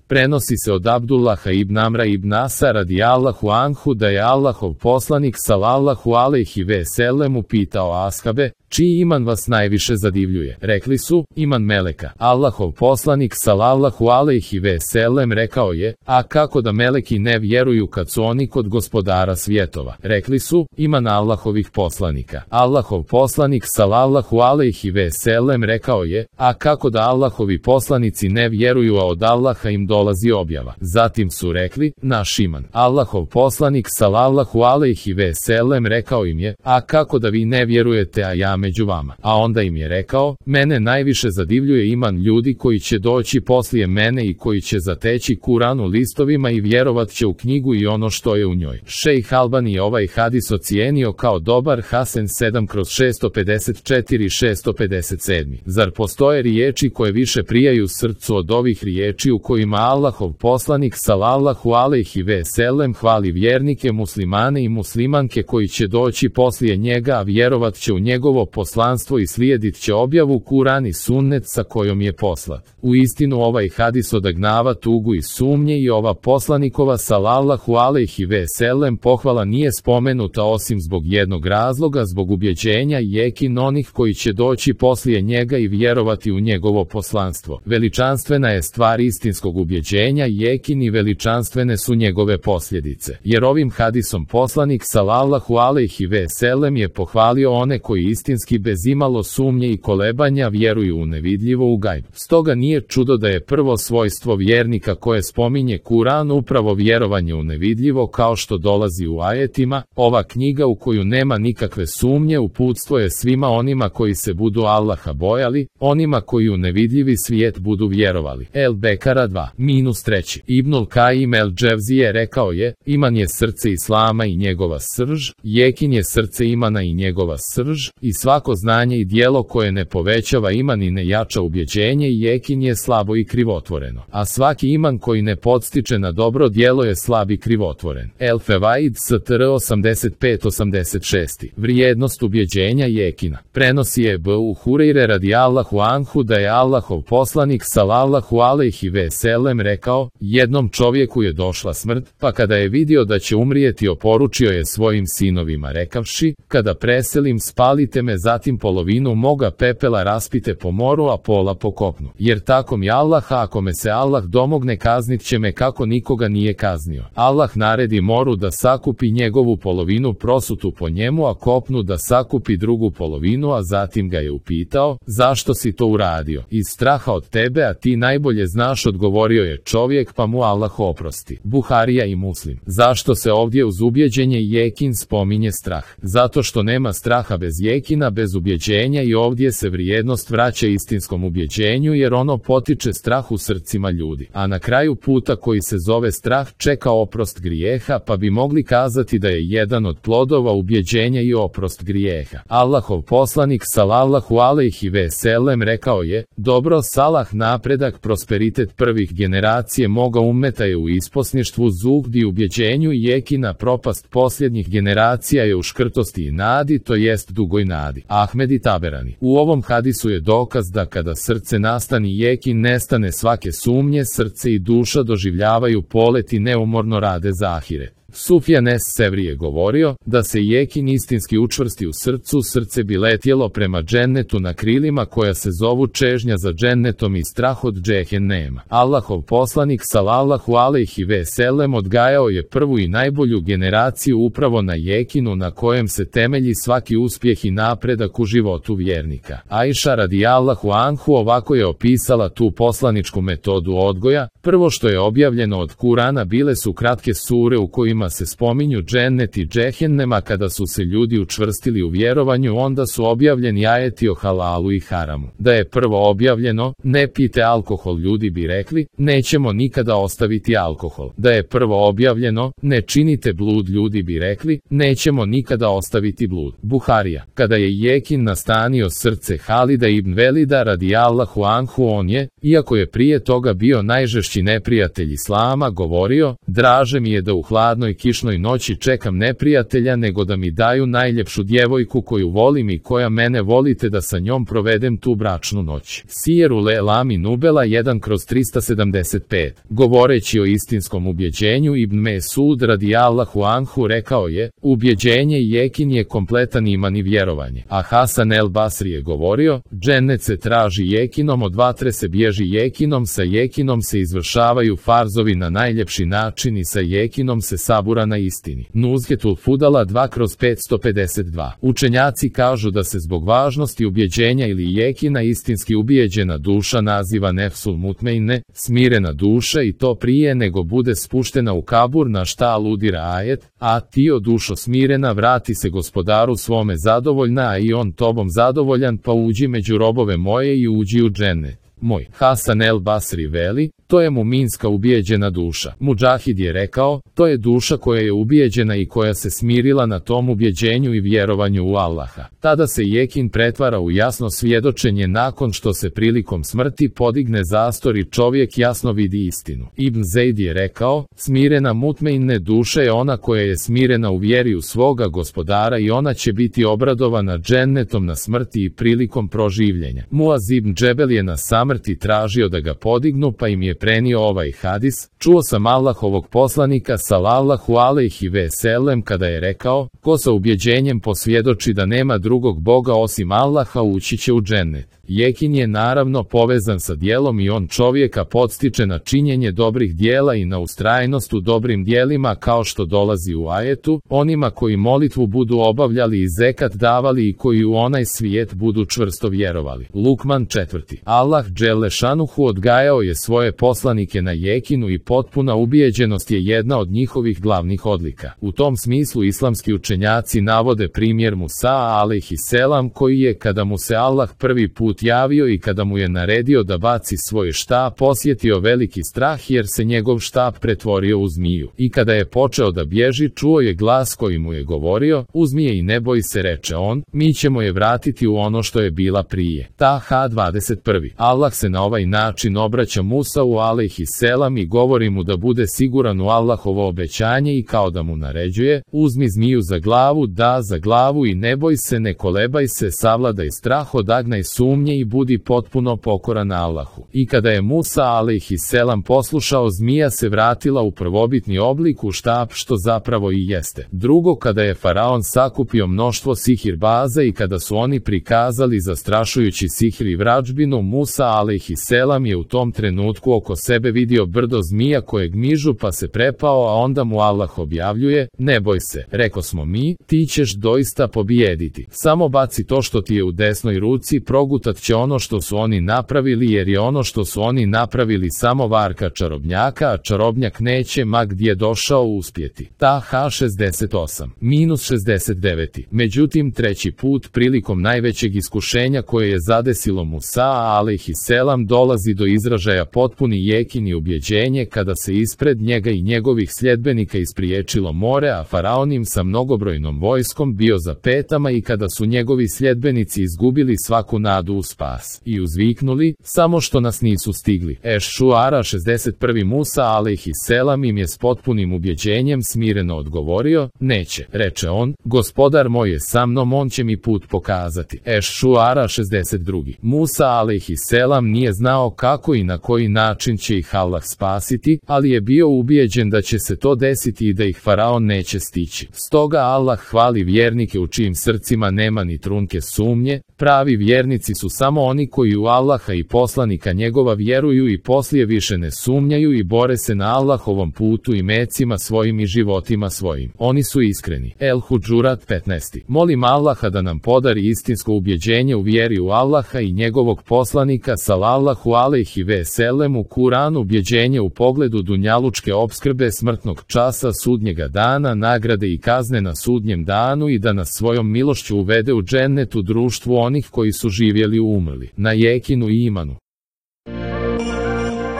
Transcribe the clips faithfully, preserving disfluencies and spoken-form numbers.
Prenosi se od Abdullaha ibn Amra ibn Asa radijallahu anhu da je Allahov poslanik sallallahu alejhi ve sellem upitao ashabe, čiji iman vas najviše zadivljuje? Rekli su, iman meleka. Allahov poslanik sallallahu alejhi ve sellem rekao je, a kako da meleki ne vjeruju kad su oni kod gospodara svjetova? Rekli su, iman Allahovih poslanika. Allahov poslanik sallallahu alejhi ve sellem rekao je, a kako da Allahovi poslanici ne vjeruju, a od Allaha im dolazi objava? Zatim su rekli, naš iman. Allahov poslanik sallallahu alejhi ve sellem rekao im je, a kako da vi ne vjerujete, a ja među vama? A onda im je rekao, mene najviše zadivljuje iman ljudi koji će doći poslije mene i koji će zateći Kur'an u listovima i vjerovat će u knjigu i ono što je u njoj. Šejh Albani je ovaj hadis ocijenio kao dobar, Hasan sedam kroz šesto pedeset četiri šesto pedeset sedam. Zar postoje riječi koje više prijaju srcu od ovih riječi u kojima Allahov poslanik sallallahu alejhi ve sellem hvali vjernike muslimane i muslimanke koji će doći poslije njega, a vjerovat će u njegovo poslanstvo i slijedit će objavu Kur'an i sunnet sa kojom je poslat. U istinu ovaj hadis odagnava tugu i sumnje i ova poslanikova sallallahu alejhi ve sellem pohvala nije spomenuta osim zbog jednog razloga, zbog ubjeđenja i jekin onih koji će doći poslije njega i vjerovati u njegovo poslanstvo. Veličanstvena je stvar istinskog ubjeđenja i jekin i veličanstvene su njegove posljedice. Jer ovim hadisom poslanik sallallahu alejhi ve sellem je pohvalio one koji istinski bez imalo sumnje i kolebanja vjeruju u nevidljivo, u gajb. Stoga nije čudo da je prvo svojstvo vjernika koje spominje Kur'an upravo vjerovanje u nevidljivo, kao što dolazi u ajetima. Ova knjiga u koju nema nikakve sumnje uputstvo je svima onima koji se budu Allaha bojali, onima koji u nevidljivi svijet budu vjerovali. El Bekara dva minus treći. Ibnul Kajim el Dževzije rekao je, iman je srce islama i njegova srž, jekin je srce imana i njegova srž, i svako znanje i dijelo koje ne povećava iman i ne jača ubjeđenje i jekin je slabo i krivotvoreno. A svaki iman koji ne podstiče na dobro djelo je slab i krivotvoren. El Fevaid str osamdeset pet osamdeset šest. Vrijednost ubjeđenja jekina. Prenosi je Ebu Hurajre radijallahu anhu da je Allahov poslanik sallallahu alejhi ve sellem rekao, jednom čovjeku je došla smrt, pa kada je vidio da će umrijeti oporučio je svojim sinovima rekavši, kada preselim spalite me, zatim polovinu moga pepela raspite po moru, a pola po kopnu. Jer tako mi Allah, ako me se Allah domogne kaznit će me kako nikoga nije kaznio. Allah naredi moru da sakupi njegovu polovinu prosutu po njemu, a kopnu da sakupi drugu polovinu, a zatim ga je upitao, zašto si to uradio? Iz straha od tebe, a ti najbolje znaš, odgovorio je čovjek, pa mu Allah oprosti. Buharija i Muslim. Zašto se ovdje uz ubjeđenje i jekin spominje strah? Zato što nema straha bez jekina, bez ubjeđenja, i ovdje se vrijednost vraća istinskom ubjeđenju jer ono potiče strah u srcima ljudi. A na kraju puta koji se zove strah čeka oprost grijeha, pa bi mogli kazati da je jedan od plodova ubjeđenja i oprost grijeha. Allahov poslanik sallallahu alejhi ve sellem rekao je, dobro, salah, napredak, prosperitet prvih generacije moga ummeta je u isposništvu zuhdi, ubjeđenju i jekina, propast posljednjih generacija je u škrtosti i nadi, to jest dugoj nadi. Ahmed i Taberani. U ovom hadisu je dokaz da kada srce nastani jekin, nestane svake sumnje, srce i duša doživljavaju polet i neumorno rade za ahiret. Sufjan es Sevri je govorio, da se jekin istinski učvrsti u srcu, srce bi letjelo prema džennetu na krilima koja se zovu čežnja za džennetom i strah od džehennema. Allahov poslanik sallallahu alejhi ve sellem odgajao je prvu i najbolju generaciju upravo na jekinu na kojem se temelji svaki uspjeh i napredak u životu vjernika. Ajša radijallahu anhu ovako je opisala tu poslaničku metodu odgoja. Prvo što je objavljeno od Kurana bile su kratke sure u kojima se spominju džennet i džehennema. Kada su se ljudi učvrstili u vjerovanju, onda su objavljeni ajeti o halalu i haramu. Da je prvo objavljeno, ne pijte alkohol, ljudi bi rekli, nećemo nikada ostaviti alkohol. Da je prvo objavljeno, ne činite blud, ljudi bi rekli, nećemo nikada ostaviti blud. Buharija. Kada je jekin nastanio srce Halida ibn Velida radijallahu anhu, on je, iako je prije toga bio najžešći najžešći neprijatelj Islama, govorio: draže mi je da u hladnoj kišnoj noći čekam neprijatelja nego da mi daju najljepšu djevojku koju volim i koja mene voli te da sa njom provedem tu bračnu noć. Sijeru le Lami Nubela jedan kroz trista sedamdeset pet. Govoreći o istinskom ubjeđenju, Ibn Mesud radijallahu anhu rekao je: ubjeđenje i jekin je kompletan iman i vjerovanje. A Hasan el Basri je govorio: džennet se traži jekinom, od vatre se bježi jekinom, sa jekinom se izvršavaju farzovi na najljepši način i sa jekinom se sabura na istini. Nuzhetul Fudala dva kroz petsto pedeset dva. Učenjaci kažu da se zbog važnosti ubjeđenja ili jekina istinski ubijeđena duša naziva nefsul mutmeine, smirena duša, i to prije nego bude spuštena u kabur, na šta aludira ajet: a ti, o dušo smirena, vrati se gospodaru svome zadovoljna, a i on tobom zadovoljan, pa uđi među robove moje i uđi u džennet moj. Hasan el Basri veli: to je muminska ubijeđena duša. Mudžahid je rekao: to je duša koja je ubijeđena i koja se smirila na tom ubjeđenju i vjerovanju u Allaha. Tada se jekin pretvara u jasno svjedočenje nakon što se prilikom smrti podigne zastor i čovjek jasno vidi istinu. Ibn Zejd je rekao: smirena mutmeine duša je ona koja je smirena u vjeri u svoga gospodara i ona će biti obradovana džennetom na smrti i prilikom proživljenja. Muaz ibn Džebel je na samrti tražio da ga podignu, pa im je prenio ovaj hadis: čuo sam Allahovog poslanika salallahu alejhi ve sellem kada je rekao: ko sa ubjeđenjem posvjedoči da nema drugog Boga osim Allaha, ući će u džennet. Jekin je naravno povezan sa djelom i on čovjeka podstiče na činjenje dobrih djela i na ustrajnost u dobrim djelima, kao što dolazi u ajetu: onima koji molitvu budu obavljali i zekat davali i koji u onaj svijet budu čvrsto vjerovali. Lukman četvrti. Allah dželle šanuhu odgajao je svoje poslanike na jekinu i potpuna ubijeđenost je jedna od njihovih glavnih odlika. U tom smislu islamski učenjaci navode primjer Musa alejhi selam, koji je, kada mu se Allah prvi put javio i kada mu je naredio da baci svoj štap, osjetio veliki strah jer se njegov štap pretvorio u zmiju. I kada je počeo da bježi, čuo je glas koji mu je govorio: uzmi je i ne boj se, reče on, mi ćemo je vratiti u ono što je bila prije. Taha dvadeset prvi. Allah se na ovaj način obraća Musau alejhi selam i govori mu da bude siguran u Allahovo obećanje i kao da mu naređuje: uzmi zmiju za glavu, da za glavu i ne boj se, ne kolebaj se, savladaj strah, odagnaj sumnje i budi potpuno pokoran Allahu. I kada je Musa alejhi selam poslušao, zmija se vratila u prvobitni oblik, u štap, što zapravo i jeste. Drugo, kada je faraon sakupio mnoštvo sihirbaza i kada su oni prikazali zastrašujući sihr i vrađbinu, Musa alejhi selam je u tom trenutku oko sebe vidio brdo zmija koje gmižu, pa se prepao, a onda mu Allah objavljuje: ne boj se, reko smo mi, ti ćeš doista pobijediti. Samo baci to što ti je u desnoj ruci, progutat će ono što su oni napravili, jer je ono što su oni napravili samo varka čarobnjaka, a čarobnjak neće ma gdje došao uspjeti. Taha šezdeset osam minus šezdeset devet. Međutim, treći put, prilikom najvećeg iskušenja koje je zadesilo Musa alejhi selam, dolazi do izražaja potpuni jekin i ubjeđenje kada se ispred njega i njegovih sljedbenika ispriječilo more, a faraon im sa mnogobrojnom vojskom bio za petama, i kada su njegovi sljedbenici izgubili svaku nadu u spas i uzviknuli: samo što nas nisu stigli. Eš-Šuara šezdeset prvi. Musa alejhi selam im je s potpunim ubjeđenjem smireno odgovorio: neće, reče on, gospodar moj je sa mnom, on će mi put pokazati. Eš-Šuara šezdeset drugi. Musa alejhi selam nije znao kako i na koji način će ih Allah spasiti, ali je bio ubijeđen da će se to desiti i da ih faraon neće stići. Stoga Allah hvali vjernike u čijim srcima nema ni trunke sumnje. Pravi vjernici su samo oni koji u Allaha i poslanika njegova vjeruju i poslije više ne sumnjaju i bore se na Allahovom putu i mecima svojim i životima svojim. Oni su iskreni. El Hudžurat petnaest. Molim Allaha da nam podari istinsko ubjeđenje u vjeri u Allaha i njegovog poslanika salallahu alejhi ve sellem, u Kuranu ubjeđenje u pogledu dunjalučke opskrbe, smrtnog časa, sudnjega dana, nagrade i kazne na sudnjem danu, i da nas svojom milošću uvede u džennet u društvu onih koji su živjeli u umrli, na jekinu i imanu.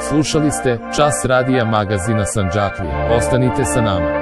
Slušali ste Čas radija magazina Sandžaklija. Ostanite sa nama.